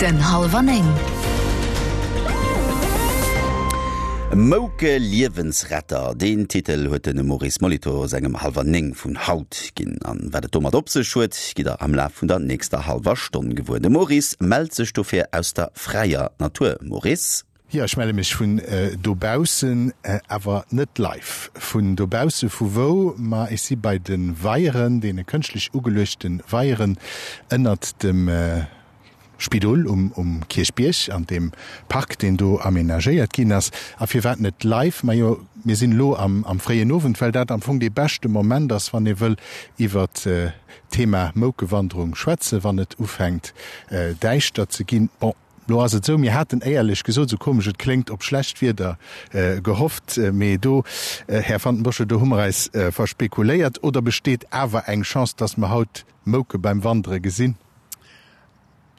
Den Hallwer 9. Mouke Liewensretter, deen Titel huet de Maurice Molitor sengem Hallwer 9 vun haut ginn. An wat et domat op sech huet, gitt der am Laf vun der nächster hallwer Stonn gewuer. De Maurice mellt sech dofir aus der fräier Natur. Maurice? Jo, ech melle mech vun dobaussen, awer net live vun dobausse. Vu wou? Ma ech si bei de Weieren, deene kënschtlech ugeluechte Weieren ënnert dem Spidol um Kierchbierg, an deem Park, deen do amenagéiert ginn ass. A firwat net live? Majo, mir sinn elo am fréien Owend, well dat am Fong dee beschte Moment ass, wann ee wëll iwwert d'Thema Moukewanderung schwätzen, wann et ufänkt däischter ze ginn. Bon. Lo ass et esou, mir haten éierlech gesot, esou komesch et kléngt, op schlecht Wieder gehofft, mee do, Här Van den Bossche, do hu mer eis verspekuléiert. Oder besteet awer eng Chance, dass mer haut Mouke beim Wandere gesinn?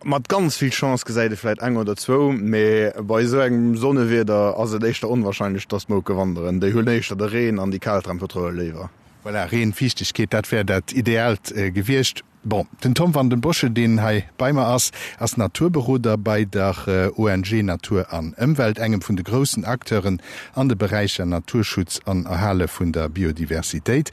Mat ganz vill Chance gesäit ee vläit eng oder zwou, mee bei esou engem Sonnewieder ass et éischter onwahrscheinlech, dass d'Mouke wanderen. Déi hunn éischter de Reen an déi kal Temperature léiwer. Voilà, Reen, Fiichtegkeet, dat wär dat Ideaalt gewiescht. Bon, den Tom van den Bossche, deen hei bei mer ass, ass Naturberoder bei der ONG Natur an Ëmwelt, engem vun de groussen Acteuren an de Beräicher Naturschutz an Erhale vun der Biodiversitéit.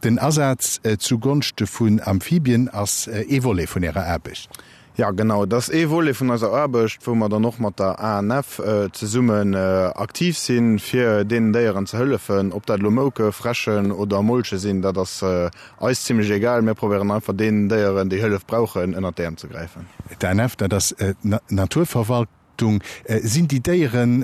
Den Asaz zu Gonschte vun Amphibien ass ee Volet vun Ärer Aarbecht. Jo, genau. Et ass ee Volet vun eiser Aarbecht, wou mer dann och mat der ANF zesummen aktiv sinn, fir deenen Déieren ze hëllefen. Ob dat elo Mouke, Fräschen oder Molche sinn, dat ass eis zimlech egal. Mir probéieren einfach deenen Déieren, déi Hëllef brauchen, ënnert d'Äerm ze gräifen. D'ANF, dat ass d'Naturverwaltung. Sinn déi Déieren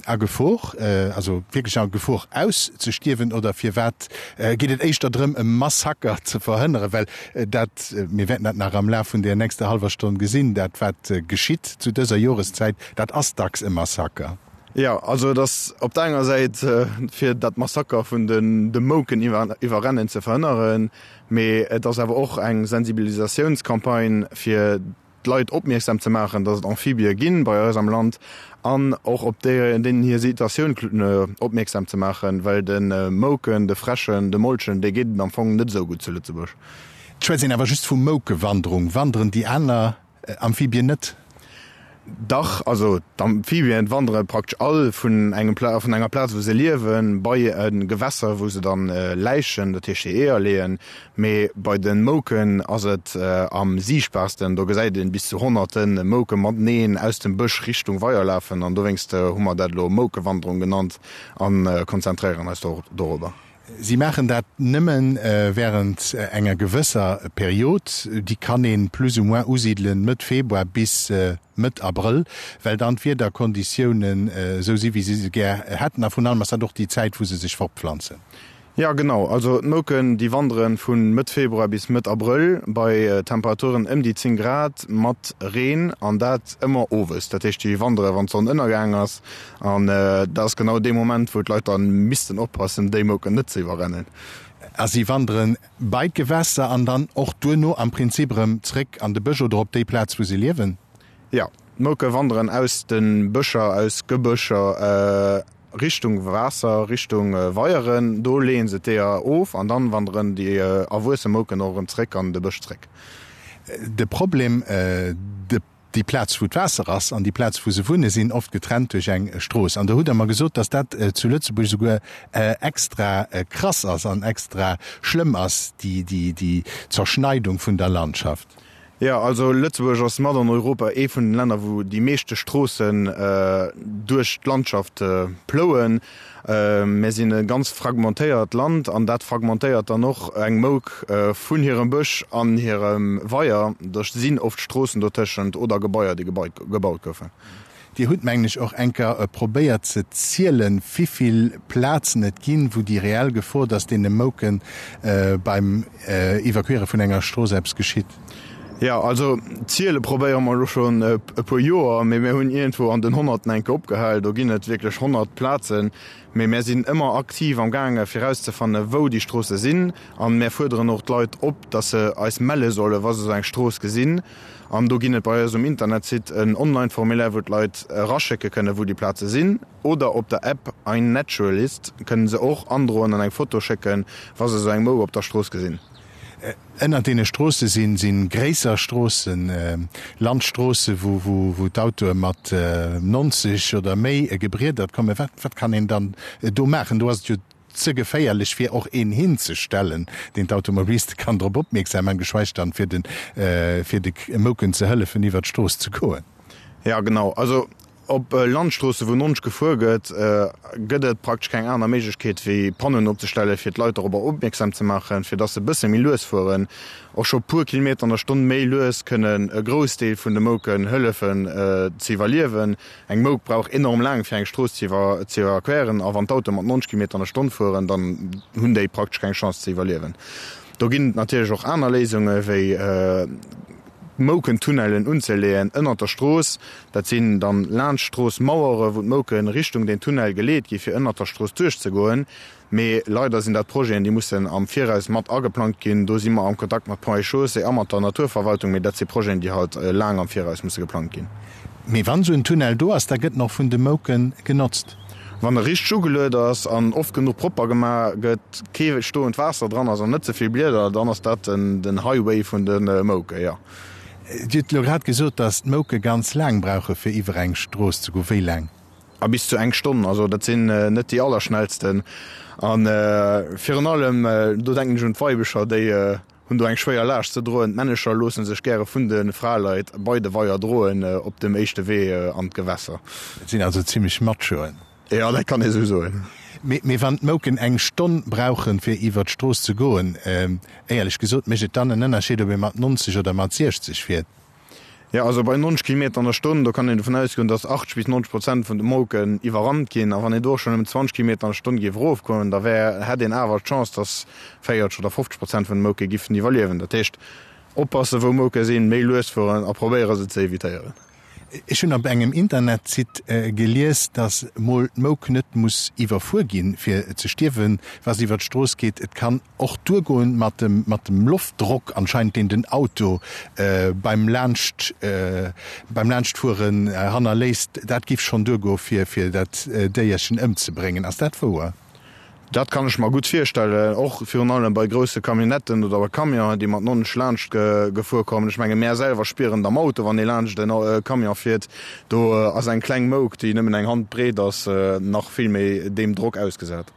a Gefor, also wierklech a Gefor auszestierwen, oder firwat geet et éischter drëm e Massaker ze verhënneren? Well dat, mir wäerten dat nach am Laf vun der nächster hallwer Stonn gesinn, dat wat geschitt zu dëser Joreszäit, dat ass dacks e Massaker. Jo, also et ass op der enger Säit fir dat Massaker vun de Mouken iwwerrennen ze verhënneren, mee et ass awer och eng Sensibilisatiounscampagne fir d'Leit opmierksam ze maachen, dass et Amphibie ginn bei eis am Land an och op deenen hir Situatioun opmierksam ze maachen, well de Mouken, de Fräschen, de Molchen, déi geet et am Fong net esou gutt zu Lëtzebuerg. Et schwätzt een awer just vu Moukewanderung. Wanderen déi aner Amphibien net? Dach, also d'Amphibien wandere praktesch all vun engem Pla vun enger Plaz wou se liewen, bei e Gewässer wou se dann läichen, dat heescht hir Eeër leeën. Mee bei de Mouken ass et am siichtbarsten, do gesäit een bis zu honnerte Mouke mateneen aus dem Bësch Richtung Weier lafen an dowéinst hu mer dat elo Moukewanderung genannt a konzentréieren eis dorobber. Si maachen dat nëmme wärend enger gewësser Period, déi kann ee plus ou moins usidelen Mëtt Februar bis Mëtt Abrëll, well dann d'Wiederkonditiounen esou si wéi si se gär hätten a vrun allem ass dat och déi Zäit wou se sech fortpflanzen. Jo genau, also d'Mouken déi wanderen vu Mëtt Februar bis Mëtt Abrëll bei Temperaturen ëm déi 10 Grad mat Reen an dat ëmmer owes. Dat heescht déi wandere wann d'Sonn ënnergaang ass an dat ass genau dee Moment wou d'Leit dann missten oppassen déi Mouken net ze iwwerrennen. A si wanderen bei d'Gewässer an dann och duerno am Prinzip erëm zréck an de Bësch oder op déi Plaz wou se liewen? Jo, d'Mouke wanderen aus de Bëscher, aus Gebëscher Richtung Waasser, Richtung Weieren, do leeën se d'Eeër of an dann wanderen déi erwuesse Mouken och erëm zréck an de Bësch zréck. De Problem, déi Plaz wou d'Waasser ass an déi Plaz wou se wunne sinn oft getrennt duerch eng Strooss. An do hutt Der mer gesot, datt dat zu Lëtzebuerg esouguer extra krass ass an extra schlëmm ass, déi Zerschneidung vun der Landschaft. Jo, also Lëtzebuerg ass mat an Europa ee vun den Länner, wou déi meeschte Stroossen duerch d'Landschaft plouen. Mir sinn e ganz fragmentéiert Land an dat fragmentéiert dann och eng Mouk vun hirem Bësch an hirem Weier. Do sinn oft Stroossen dotëschent oder Gebaier, déi gebaut goufen. Dir hutt, mengen ech, och eng Kéier probéiert ze zielen, wivill Plazen et ginn, wou déi reell Gefor, dass deene Mouke beim Evakuiere vun enger Strooss eppes geschitt. Jo, also ziele probéiere mer elo schonn e puer Joer, mee mir hunn iergendwou an den Honnerten eng Kéier opgehal. Do ginn et wierklech 100 Plazen. Mee mär sinn ëmmer aktiv am gaange fir erauszefanne wou déi Stroosse sinn. An mär fuerderen och d'Leit op, dass se eis melle solle wa se esou eng Strooss gesinn. An do ginn et bei eis um Internetsite en Online-Formulaire, wou d'Leit eraschécke kënnen, wou déi Plaze sinn. Oder op der App iNaturalist kënnen se och androen an eng Foto schécken, wa se esou eng Mouk op der Strooss gesinn. Ënnert deene Stroosse sinn si gréisser Stroossen, Landstroosse wou wou d'Autoe mat 90 oder méi gebriedert kommen. Wat wat kann een dann do maachen? Do ass et jo ze geféierlech fir och een hinzestellen, deen d'Automobiliste kann drop opmierksam maachen, geschweige dann fir de fir de Mouken ze hëllefen iwwert d'Strooss ze goen. Jo genau, also Op Landstroosse wou 90 gefuer gëtt, gëtt et praktesch keng aner Méiglechkeet wéi Panneauen opzestellen, fir d'Leit dorobber opmierksam ze maachen, fir dass se e bësse méi lues fueren. Och scho puer Kilometer an der Stonn méi lues kënnen e Groussdeel vun de Mouken hëllefen ze iwwerliewen. Eng Mouk brauch enorm laang fir eng Strooss ze iwwerqueren a wann d'Autoe mat 90 Kilometer an der Stonn fueren, dann hunn déi praktesch keng Chance ze iwwerliewen. Do ginn et natierlech och aner Léisunge wéi Moukentunnellen unzeleeën ënnert der Strooss. Dat sinn dann laanscht d'Strooss Mauere wou d'Mouken Richtung deen Tunnel geleet gi fir ënnert der Strooss duerchzegoen. Mee leider sinn dat Projeten déi mussen am Viraus mat ageplangt ginn. Do si mer am Kontakt mat Ponts et Chaussées a mat der Naturverwaltung, mee dat si Projeten déi halt laang am Viraus musse geplangt ginn. Mee wann esou en Tunnel do ass, da gëtt en och vun de Mouken genotzt. Wann e richteg ugeluet ass an oft genuch propper gemaach gëtt, kee stoend Waasser dran ass an net ze vill Blieder, dann ass dat den Highway vun de Mouke, jo. Dir hutt elo grad gesot, datt d'Mouke ganz laang brauche fir iwwer eng Strooss ze goen. Wéi laang? A bis zu eng Stonn. Also dat sinn net déi allerschnellsten. A virun allem, do denken ech un d'Weibecher, déi Hunn do eng schwéier Laascht ze droen. D'Männecher loosse sech gäre vun de Fraleit bei de Weier droen op dem éischte Wee an d'Gewässer. Dat sinn also zimlech Machoen. Jo, dat kann ee sou soen. Mee wann d'Mouken eng Stonn brauchen, fir iwwer d'Strooss ze goen, éierlech gesot, mécht et dann en Ënnerscheed, ob ee mat 90 oder mat 60 fiert? Jo, also bei 90 Kilometer an der Stonn, do kann een dovun ausgoen, datt 80 bis 90 Prozent vun de Mouken iwwerrannt ginn. A wann een do och schonn ëm 20 Kilometer an der Stonn géif erofgoen, da wär, hätt een awer d'Chance, datt 40 oder 50 Prozent vun de Mouke giffen iwwerliewen. Dat heescht, oppassen, wou Mouke sinn, méi lues fueren a probéiere se ze evitéieren. Ech hunn op engem Internetsite gelies, datt mol d'Mouk net muss iwwerfuer ginn, fir ze stierwen, wa se iwwer d'Strooss geet. Et kann Och duergoen mat dem mat dem Loftdrock anscheinend deen den Auto beim laanscht beim laanschtfueren hannerléisst, dat giff schonn duergoe fir fir dat Déierchen ëmzebréngen. Ass dat wouer? Dat kann ech mer gutt virstellen, och virun allem bei grousse Camionnetten oder bei Camionen, déi mat 90 laanscht gefuer kommen. Ech menge mär selwer spieren et am Auto, wann ee laanscht en Camion fiert, do ass eng kleng Mouk, déi nëmmen eng Hand breet ass, nach vill méi deem Drock ausgesat.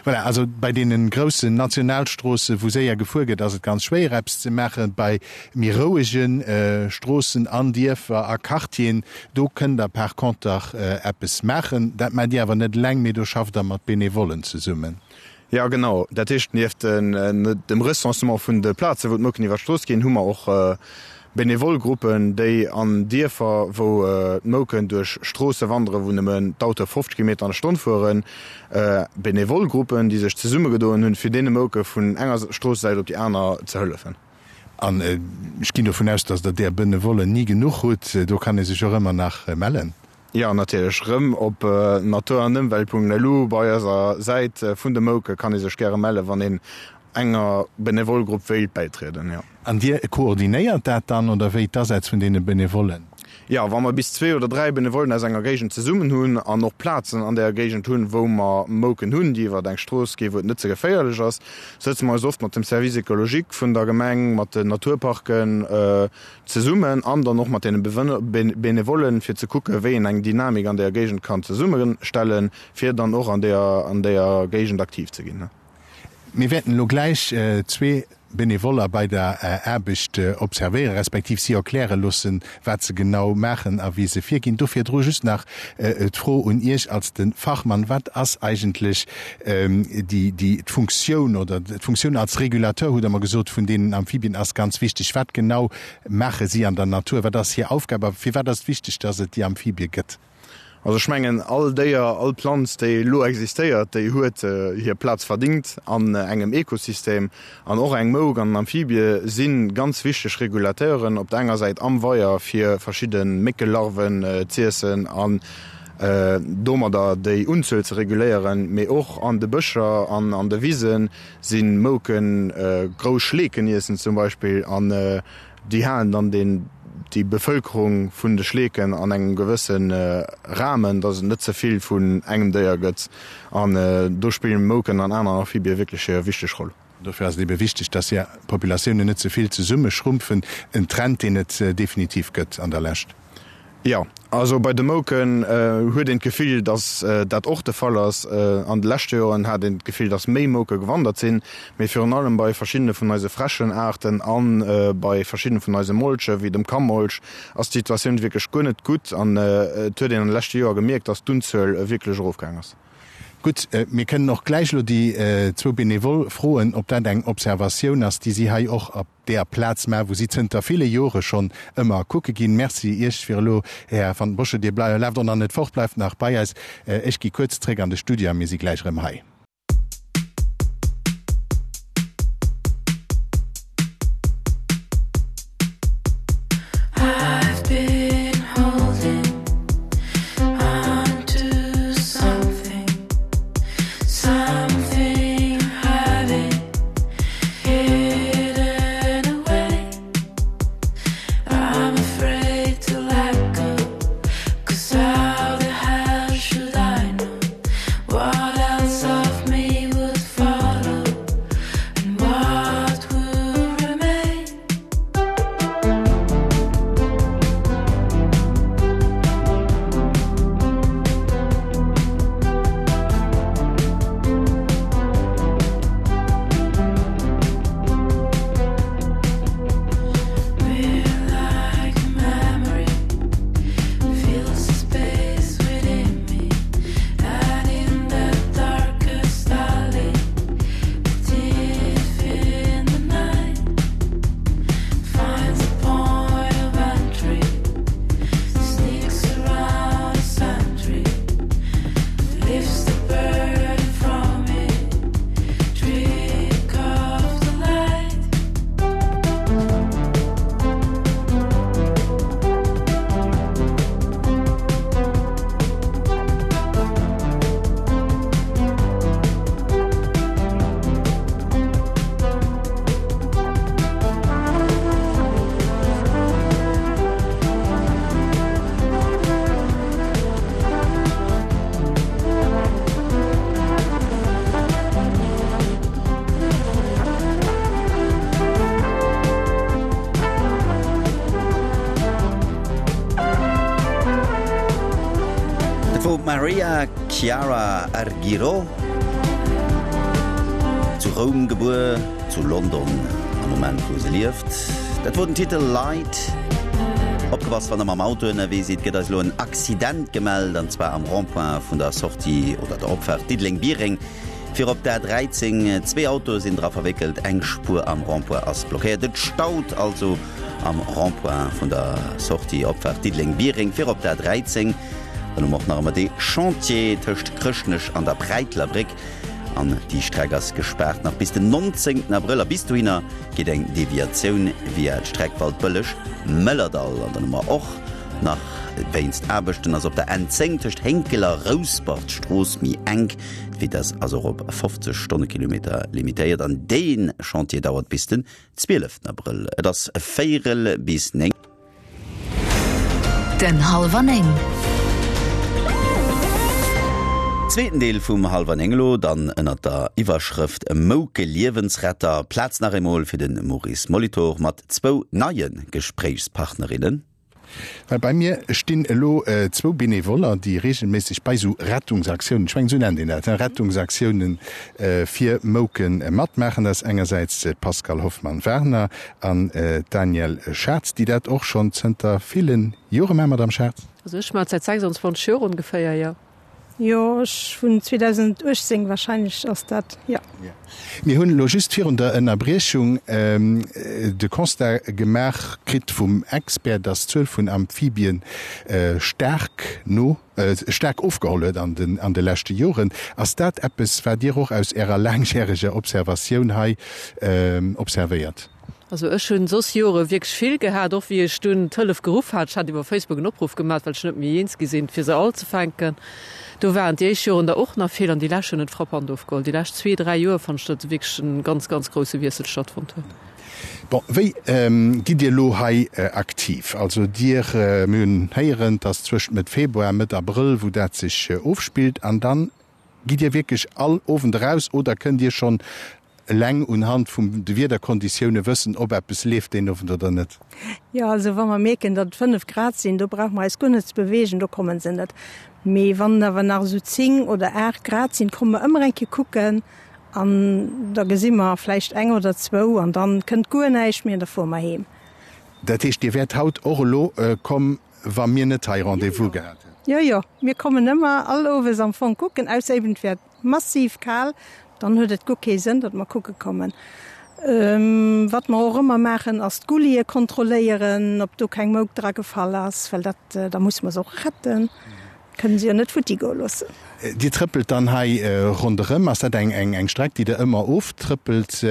Voilà, also bei deene groussen Nationalstroosse wou séier gefuer gëtt, ass et ganz schwéier eppes ze maachen. Bei méi rouege Stroossen an Dierfer a Quartieren, do kënnt Der par conter eppes maachen. Dat maacht Dir awer net eleng, mee do schafft Der mat Benevollen zesummen. Jo, genau. Dat heescht, nieft dem Recensement vun de Plazen, wou d'Mouken iwwer d'Strooss ginn, hu mer och Benevol Gruppen, déi an Dierfer, wou d'Mouken duerch Stroosse wanderen, wou nëmmen d'Autoe 50 Kilometer an der Stonn fueren, Benevol Gruppen, déi sech zesummegedoen hunn, fir deene Mouke vun enger Stroossesäit op déi aner ze hëllefen. An ech ginn dovun aus, dass Der där Benevollen ni genuch hutt. Do kann ee sech och ëmmer nach mellen. Jo, natierlech. Rëm op naturanëmwelt.lu bei eiser Säit vun de Mouke kann ee sech gäre mellen, wann een enger Benevol Grupp wéilt bäitrieden, jo. An Dir koordinéiert dat dann, oder wéi, d'Asätz vun deene Benevollen? Jo, wa mer bis zwee oder dräi Benevollen aus enger Géigend zesummen hunn an och Plazen an där Géigend hunn, wou mer Mouken hunn, déi iwwer eng Strooss ginn, wou et net ze geféierlech ass, sëtze mer eis oft mat dem Service écologique vun der Gemeng, mat den Naturparken zesummen an dann och mat deene Benevollen, fir ze kucken, wéi een eng Dynamik an där Géigend kann zesummestellen, fir dann och an där Géigend aktiv ze ginn. Mir wäerten elo gläich zwee Benevoller bei der Aarbecht observéieren, respektiv si erkläre loossen, wat se genau maachen a wéi se virginn. Do virdru just nach d'Fro un Iech als de Fachmann, Wat ass eigentlech déi, déi, d'Funktioun oder d'Funktioun als Regulateur, hutt Der mer gesot, vun deenen Amphibien ass ganz wichteg. Wat genau maache si an der Natur? Wat ass hir Aufgab a firwat ass et wichteg, dass et déi Amphibie gëtt? Also ech mengen, all Déier, all Planz, déi elo existéiert, déi huet hir Plaz verdingt an engem Ekosystem. An och eng Mouk an en Amphibie si ganz wichteg Regulateuren, op der enger Säit am Weier fir verschidde Méckelarven z'iessen an domadder déi Unzuel ze reguléieren, mee och an de Bëscher an an de Wise si Mouken grouss Schleeken iessen zum Beispill. An Déi halen dann den, déi Bevëlkerung vun de Schleeken an engem gewësse Rahmen, dass et net ze vill vun engem Déier gëtt. An do spillen Mouken an aner Amphibie wierklech hir wichteg Roll. Dofir ass et ebe wichteg, dass hir Populatiounen net ze vill zesummeschrumpfen, en Trend, deen et definitiv gëtt an der Lescht. Jo, also bei de Mouken huet een d'Gefill, dass dat och de Fall ass. An de leschte Joren hat een d'Gefill, dass méi Mouke gewandert sinn, mee virun allem bei verschiddene vun eise Fräschenaarten a bei verschiddene vun eise Molche wéi dem Kammolch ass d'Situatioun wierklech guer net gutt an et huet een an de leschte Joer gemierkt, dass d'Unzuel wierklech erofgaang ass. Gutt, mir kënnen och gläich elo déi zwou Benevole froen, ob dat eng Observatioun ass, déi si hei och op deeër Plaz maachen, wou si zënter ville Jore schonn ëmmer kucke ginn. Merci Iech fir elo, Här Van den Bossche. Dir laaft och nach net fort, bleift nach bei eis. Ech gi kuerz zréck an de Studio a mir si gläich erëm hei. Dat wor d'Maria Chiara Argirò, zu Roum gebuer, zu London am Moment wou se lieft. Dat wor den Titel Light. Opgepasst wann der mam Auto ënnerwee sidd, gëtt eis elo en Accident gemellt an zwar am Rond-point vun der Sortie oder der Opfaart Diddeleng-Biereng fir op d'A13. Zwee Autoe sinn dra verwéckelt, eng Spuer am Rond-point ass blockéiert. Et staut also am Rond-point vun der Sortie Opfaart Diddeleng-Biereng fir op d'A13. Dann hu mer och nach ëmmer dee Chantier tëscht Chrëschtnech an der Präitler Bréck. An déi Streck ass gespaart nach bis den 19 Abrëll a bis dohinner geet eng Deviatioun via d'Streck Waldbëlleg-Mëllerdall. An dann hu mer och nach wéinst Aarbechten ass op der N10 tëscht Hénkel a Rouspert d'Strooss méi enk. D'Vitess ass och op 50 Stonnekilometer limitéiert an dee Chantier dauert bis den 12 Abrëll. Et ass véierel bis 9. Den Hallwer 9. Zweeten Deel vum Hallwer 9 elo dann ënnert der Iwwerschrëft Mouke Liewensretter. Plaz nach eemol fir de Maurice Molitor mat zwou neie Gespréichspartnerinnen. Well bei mir stinn elo zwou Benevoller, déi reegelméisseg bei esou Rettungsaktiounen, ech mengen esou nennt een dat, hein, Rettungsaktiounen fir Mouke matmaachen. Dat ass engersäits d'Pascale Hoffmann-Werner An d'Danièle Schartz, déi dat och schonn zënter ville Jore maacht. Madame Schartz? Also ech maachen et säit 26 Joer ongeféier, jo. Jo, ech vun 2018 wahrscheinlech ass dat, jo. Mir hunn elo just virun der Ënnerbriechung de Constat gemaach kritt vum Expert, dass d'Zuel vun Amphibien staark no, staark ofgeholl huet an den an de leschte Joren. Ass dat eppes, wat Dir och aus Ärer laangjäreger Observatioun hei observéiert? Also ech hunn soss Jore wierklech vill gehat, och wéi ech dunn d'Hëllef geruff hat. Ech hat iwwer Facebook en Opruff gemaat, well ech net méi eens gi sinn, fir se all ze fänken. Do waren déi éischt Joren der och nach vill an déi lescht hunn et frappant ofgeholl. Déi lescht zwee, dräi Joer fannen ech, datt wierklech en ganz, ganz grousse Wiessel stattfonnt huet. Bon, wéi gitt Dir elo hei aktiv? Also Dir, mir hunn héieren, et ass zwëschent Mëtt Februar a Mëtt Abrëll, wou dat sech ofspillt. An dann gitt Dir wierklech all Owend eraus oder kënnt Dir schonn. Eleng unhand vum de Wiederkonditioune wëssen, ob eppes leeft deen Owend oder net. Jo, also wa mer mierken, datt et 5 Grad sinn, do brauche mer eis guer net ze beweegen, do komme se net. Mee wann et awer nach esou 10 oder 8 Grad sinn, komme mer ëmmer eng Kéier kucken an da gesi mer vläicht eng oder zwou an dann kënnt guer näischt méi an da fuere mer heem. Dat heescht, Dir wäert haut och elo komm, wa mir net hei Rendez-vous gehat hätten? Jo, jo, mir kommen ëmmer all Owes am Fong kucken, ausser eben et wär Massiv kal, dann huet et guer kee Sënn, datt mer kucke kommen. Wat mer och ëmmer maachen, ass d'Gullie kontrolléieren, ob do keng Mouk dra gefall ass, well dat, da musse mer se och retten, kënne se jo net futti goe loossen. Dir trëppelt dann hei ronderëm. Ass dat eng Streck, déi Der ëmmer oftrëppelt?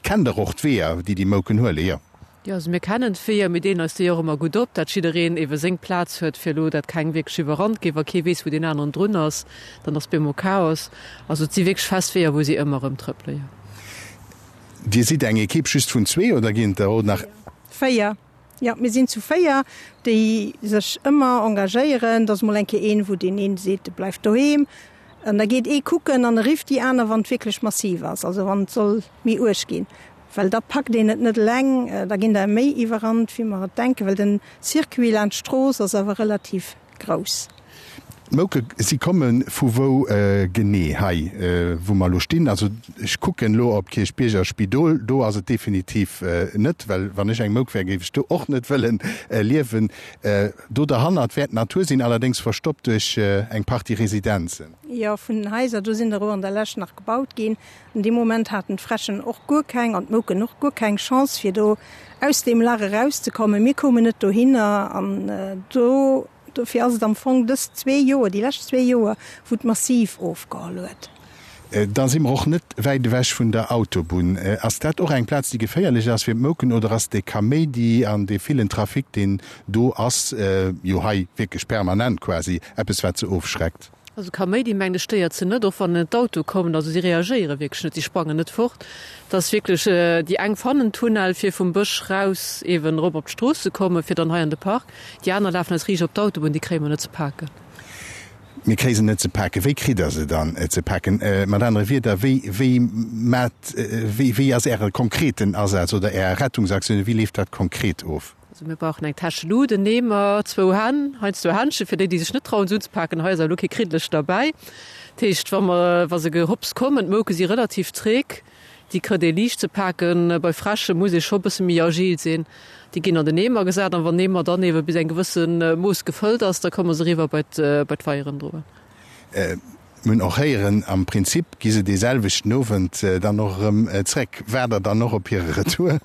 Kennt Der och d'Weeër, déi déi Mouken huelen? Jo. Jo, also mir kennen d'Weeër, mir deelen eis déi och ëmmer gutt op, dat jiddereen eebe seng Plaz huet, fir elo dat keng wierklech iwwerrannt gétt. Wa kee weess, wou deen aneren drun ass, dann ass bemol Chaos. Also et si wierklech fest Weeër, wou si ëmmer erëm trëppele, jo. Dir sidd eng Ekipp just vun zwee oder ginn et der och nach? Véier, jo, mir sinn zu véier, déi sech ëmmer engagéieren. Et ass mol eng Kéier een, wou deen een seet, e bleift doheem an da geet ee kucken an e rifft déi aner, wann et wierklech massiv ass, also wann et soll méi uerg ginn. Well da packt een et net eleng, da ginn der méi iwwerrannt, wéi mer et denken, well den Circuit laanscht d'Strooss ass awer relativ grouss. D'Mouke, si komme vu wou genee? Hei wou mer elo stinn, also ech kucken elo op Kierchbierger Spidol, do ass et definitiv net, well wann ech eng Mouk wär, géif ech do och net wëllen liewen. Do derhannert wäert d'Natur sinn, allerdéngs verstoppt duerch eng Partie Residenzen. Jo, vun den Haiser, do sinn der och an der Lescht nach gebaut ginn. An deem Moment haten d'Fräschen och guer keng an d'Mouken och guer keng Chance fir do aus deem Lach erauszekommen. Mir koumen net dohinner an do, dofir ass et am Fong dës zwee Joer, déi lescht zwee Joer, wou et massiv ofgeholl huet. Da si mer och net wäit ewech vun der Autobunn. Ass dat och eng Plaz, déi geféierlech ass fir d'Mouken oder ass dee Kaméidi an dee villen Trafic, deen do ass, jo hei wierklech permanent quasi, eppes wat se ofschreckt? Also Kaméidi mengen ech stéiert se net, och wann en d'Auto kommen, also si reagéiere wierklech net, si sprangen net fort. Et ass wierklech, déi eng fannen Tunnel fir vum Bësch raus eeben erop op d'Strooss ze kommen, fir dann hei an de Park. Déi aner lafen eis riicht op d'Autobunn, déi kréie mer net ze paken. Mir kréie se net ze paken. Wéi kritt Der se dann ze paken? Mat anere Wierder, wéi, wéi maacht, wéi, wéi ass Äre konkreten Asaz oder Är Rettungsaktiounen, wéi leeft dat konkret of? Also mir brauchen eng Täsch Luut, en Eemer, zwou Hänn, heiansdo Händschen, fir déi, déi sech net trauen se unzepaken. Hei ass awer elo kee Kriddlech derbäi. Dat heescht, wa mer, wa se gehopst kommen, d'Mouke si relativ träg, déi kritt ee liicht ze paken. Bei Fräsche muss ee scho bësse méi agil sinn. Déi ginn an den Eemer gesat an wann den Eemer dann eebe bis eng gewësse Mooss gefëllt ass, da komme se eriwwer bei d'Weieren droen. Mir hunn och héieren, am Prinzip gi se dee selwechten Owend dann och erëm zréck. Waart Der dann och op hire Retour?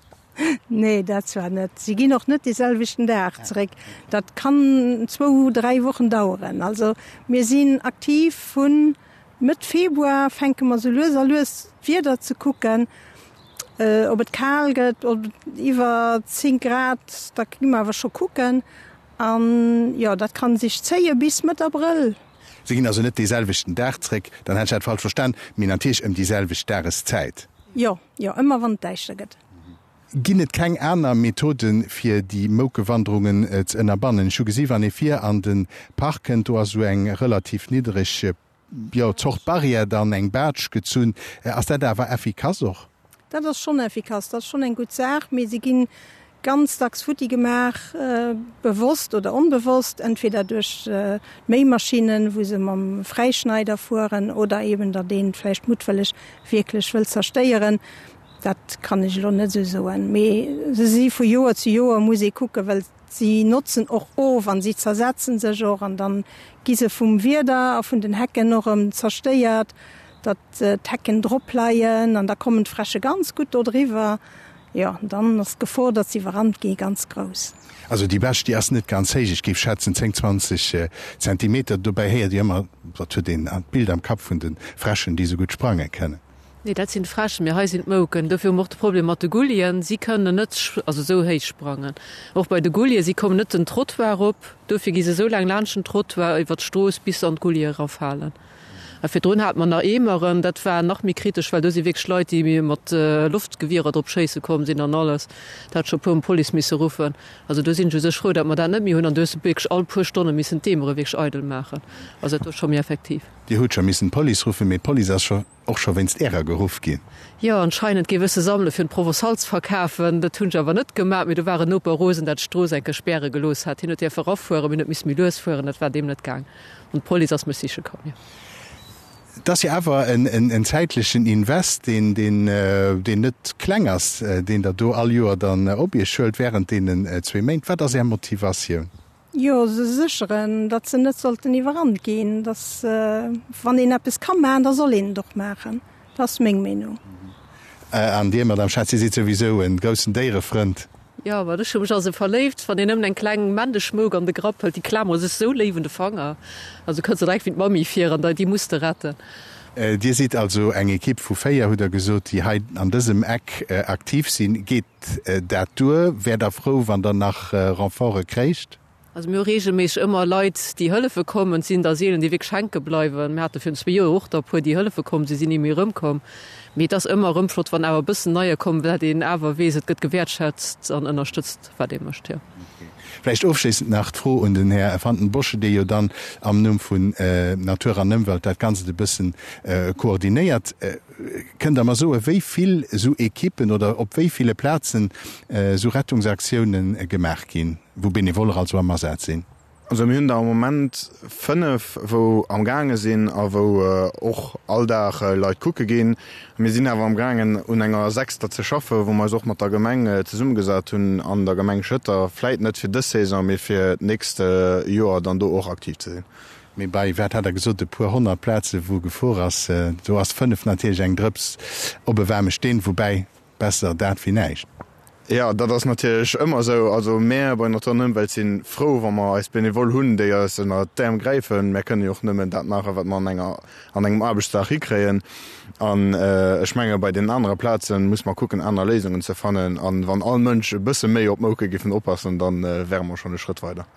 Nee, dat zwar net. Si ginn och net dee selwechten Dag zeréck. Dat kann zwou, dräi Wochen daueren. Also mir sinn aktiv vu Mëtt Februar fänke mer sou lues a lues d'Wieder ze kucken, ob et kal gëtt, ob et iwwer 10 Grad, da gi mer awer scho kucken. An jo, dat kann sech zéie bis Mëtt Abrëll. Si ginn also net dee selwechten Dag zréck, dann hätt ech dat falsch verstan, mee natierlech ëm déi selwecht Dageszäit. Jo, jo, ëmmer wann et däischter gëtt. Ginn et keng aner Methoden, fir déi Moukewanderungen ze ënnerbannen? Ech hu gesi wann ee vir an de Park kënnt, do ass esou eng relativ niddereg, jo, Zort Barrière dann, eng Baatsch gezunn. Ass dat awer effikass och? Dat ass schonn effikass, dat ass schonn eng gutt Saach, mee se ginn ganz dacks futti gemaach, bewosst oder onbewosst, entweder duerch d'Méimaschinnen, wou se mam Fräischneider fueren, oder eben datt een vläicht muttwëlleg wierklech wëll zerstéieren. Dat kann ech elo net esou soen, mee se si vu Joer zu Joer muss ee kucken, well si notzen och of an si zersetzen sech och an dann gi se vum Wieder a vun den Hecken och erëm zerstéiert, datt d'Hecken drop leien an da kommen d'Fräsche ganz gutt do driwwer. Jo, dann ass d'Gefor, datt se iwwerrannt gi ganz grouss. Also déi Bäch, déi ass net ganz héich, ech géif schätzen 10, 20 Zentimeter. Dobäi héiert Dir ëmmer, dat huet een d'Bild am Kapp vun de Fräschen, déi esou gutt sprange kënnen. Nee, dat sinn d'Fräschen, mee hei sinn d'Mouken. Dofir hu mer och de Problem mat de Gullien. Si kënnen net also esou héich sprangen. Och bei de Gullien, si kommen net den Trottoir erop. Dofir gi se esou laang laanscht den Trottoir iwwer d'Strooss bis se an d'Gullie erafalen. A virdrun hate mer nach Eemeren, dat war nach méi kritesch, well do si wierklech Leit, déi mat Loftgewierer drop schéisse komm sinn an alles. Dat hat scho puer mol d'Police misse ruffen. Also do sinn ech u sech frou, datt mer dat net méi hunn. An do hues de wierklech all puer Stonne missen d'Eemere wierklech eidel maachen. Also dat do ass scho méi effektiv. Dir hutt scho missen d'Police ruffen, mee d'Police ass scho och scho wéinst Ärer geruff ginn. Jo, anscheinend géif ech se sammele fir en Provençal ze verkafen. Dat hunn ech awer net gemaach, mee do war en Noper rosen, dat d'Strooss eng Kéier späre gelooss hat. Hien huet däerfe rafueren, mee en huet misse méi lues fueren. Dat war deem net gaang an d'Police ass mech siche komm, jo. Et ass jo awer en zäitlechen Invest, deen net kleng ass, deen Der do all Joer dann op Iech huelt während deenen zwee Méint. Wat ass Är Motivatioun? Jo, se sécheren, datt se net sollten iwwerrannt ginn. Datt, wann een eppes ka maachen, da soll een et och maachen. Dat ass meng Meenung. An Dir, Madame Schatz, Dir sidd souwisou e groussen Déierefrënd. Jo, ma ech hu mech a se verléift. Wann een nëmmen eng kleng Männeschmouk an de Grapp hëlt, déi klamere sech sou léif un de Fanger. Also kënns der direkt wéi d'Mammi vir an déi muss de retten. Dir sidd also eng Ekipp vu 4, hutt Der gesot, déi hei an dësem Eck aktiv sinn. Geet dat duer? Wäert Der frou, wann Der nach Renforte kréicht? Also mir hu reegelméisseg ëmmer Leit, déi hëllefe kommen. Et sinn der seelen, déi wierklech hänke bleiwen. Mir hate virun zwee Joer och der e puer, déi hëllefe komm sinn, sinn ni méi erëmkomm. Mee et ass ëmmer erëm flott, wann awer e bëssen Neier kommen, dat een awer weess, et gëtt gewäertschätzt an ënnerstëtzt, wat ee mécht, jo. Vläicht ofschléissend nach d'Fro un den Här Vanden Bossche, dee jo dann am Numm vun Natur an Ëmwelt dat Ganzt e bëssen koordinéiert. Kënnt Der mer soen, wéi vill esou Ekippen oder op wéi ville Plazen esou Rettungsaktiounen gemaach ginn? Wou Benevoller also am Asaz sinn. Also mir hunn der am Moment 5, wou am gaange sinn a wou och all Dag Leit kucke ginn. Mir sinn awer am gaangen un enger sechster ze schaffen, wou mer eis och mat der Gemeng zesummegesat hunn an der Gemeng Schëtter, vläit net fir dës Saison, mee fir d'nächst Joer dann do och aktiv ze sinn. Mee bei, wat hat Der gesot, e puer 100 Plaze wou gefuer ass, do ass 5 natierlech eng Drëps op e waarme Steen, woubäi Besser dat wéi näischt. Jo, dat ass natierlech ëmmer esou. Also mär bei Natur an Ëmwelt si frou, wa mer eis Benevole hunn, déi eis ënner d'Äerm gräifen. Mär kënnen jo och nëmmen dat maachen, wat mer an enger, an engem Aarbechtsdag hikréien. An ech menge bei deenen anere Plaze muss mer kucken, aner Léisungen ze fannen. An wann all Mënsch e bësse méi op d'Mouke giffen oppassen, da wäre mer schonn e Schrëtt weider.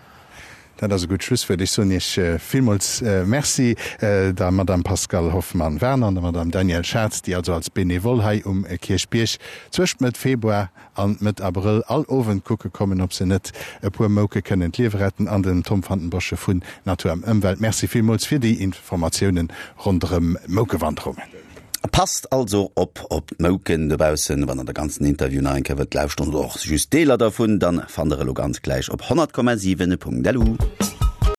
Dat ass e gutt Schlusswuert. Ech soen Iech villmools Merci, der Madame Pascale Hoffmann-Werner an der Madame Danièle Schatz, déi also als Benevole hei um Kierchbierg zwëscht Mëtt Februar an Mëtt Abrëll all Owend kucke kommen, ob se net e puer Mouke kënnen d'Liewe retten, an dem Tom van den Bossche vun Natur an Ëmwelt. Merci villmools fir déi Informatiounen ronderëm d'Moukewanderungen. Passt also op op d'Mouken dobaussen. Wann der de ganzen Interview nach eng Kéier wëllt lauschteren oder och just Deeler dervun, dann fannt der e lo ganz gläich op 100,7.lu.